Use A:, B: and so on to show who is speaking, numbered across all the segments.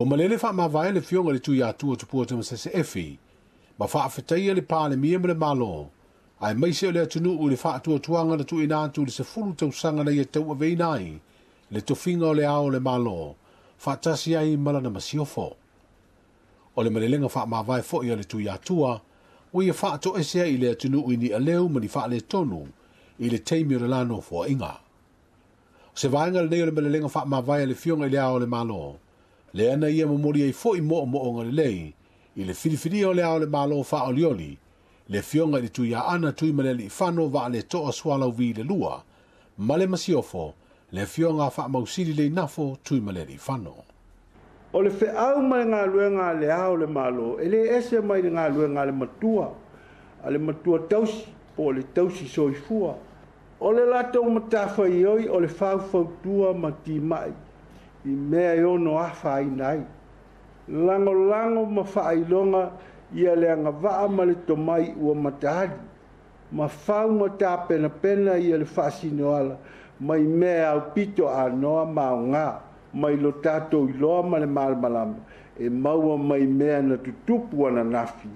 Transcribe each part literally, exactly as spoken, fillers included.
A: O malele faamavae le Afioga i le Tuiatua Tupua Tamasese Efi, ma faafetaia le Palemia ma le Malo, aemaise o le atunuu i le faatuatuaga na tuuina atu i le sefulu tausaga na ia tauaveina ai le tofiga o le Ao o le Malo, faatasi ai ma lana masiofo. O le malelega faamavae foi a le Tuiatua, ua ia faatoese ai i le atunuu i ni aleu ma ni faaletonu i le taimi o le la nofoaiga. O se vaega lenei o le malelega faamavae a le Afioga i le Ao o le Malo, lea na ia momoli ai foi moomooga lelei i le filifilia o le Ao o le Malo faaolioli, le Afioga i le Tuiaana Tuimalealiifano Vaaletoa Sualauvi le Lua, ma le masiofo, le Afioga Faamausili Leinafo Tuimalealiifano.
B: O le feau ma le galuega a le Ao o le Malo, e le ese mai le galuega a le matua, a le matua tausi, po o le tausi soifua. O le latou matafaioi o le faufautua ma timai i mea e ono afaina ai. Lagolago ma faailoga ia le agavaa ma le tomai ua mataali, ma fau ma tapenapena ia le faasinoala mai mea aupito anoa ma aoga, mai lo tatou iloa ma le malamalama, e maua mai mea na tutupu ananafi,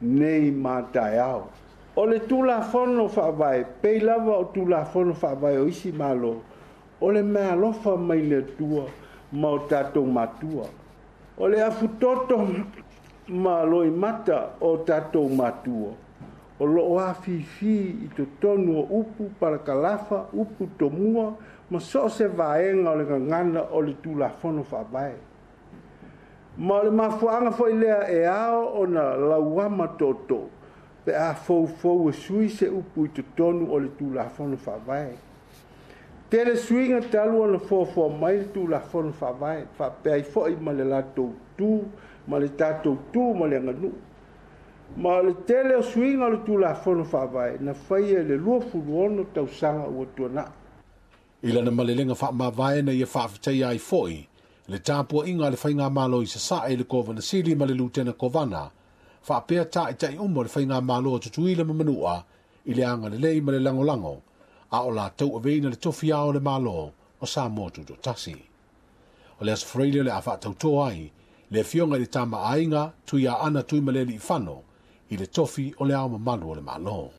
B: nei ma taeao. O le Tulafono Faavae, pei lava o Tulafono Faavae o isi Malo, o le meaalofa mai le Atua ma o tatou matua. O le afutoto ma loimata o tatou matua, o loo afifi i totonu o upu palakalafa, upu tomua, ma so o se vaega o le gagana o le Tulafono Faavae. Ma o le mafuaaga foi lea e ao ona lauama tootoo, pe a foufou e sui se upu i totonu o le Tulafono Faavae. Tele suiga talu ona foafoa mai le Tulafono Faavae, faapea ai foi ma le latou tu, ma le tatou tu ma le aganuu. Ma o le tele o suiga o le Tulafono Faavae na faia i le luasefulu ono tausaga ua tuanai.
A: I lana malelega faamavae na ia faafetaia ai foi le tapuaiga a le Faigamalo i Sasae i le Kovana Sili ma le Lutena Kovana, faapea taitai uma o le Faigamalo a Tutuila ma Manua i le agalelei ma le lagolago, a o latou aveina le tofi Ao o le Malo o Samoa Tutoatasi. O le Aso Faraile o le a faatauto ai le Afioga i le Tama a Aiga Tuiaana Tuimalealiifano i le tofi o le Ao Mamalu o le Malo.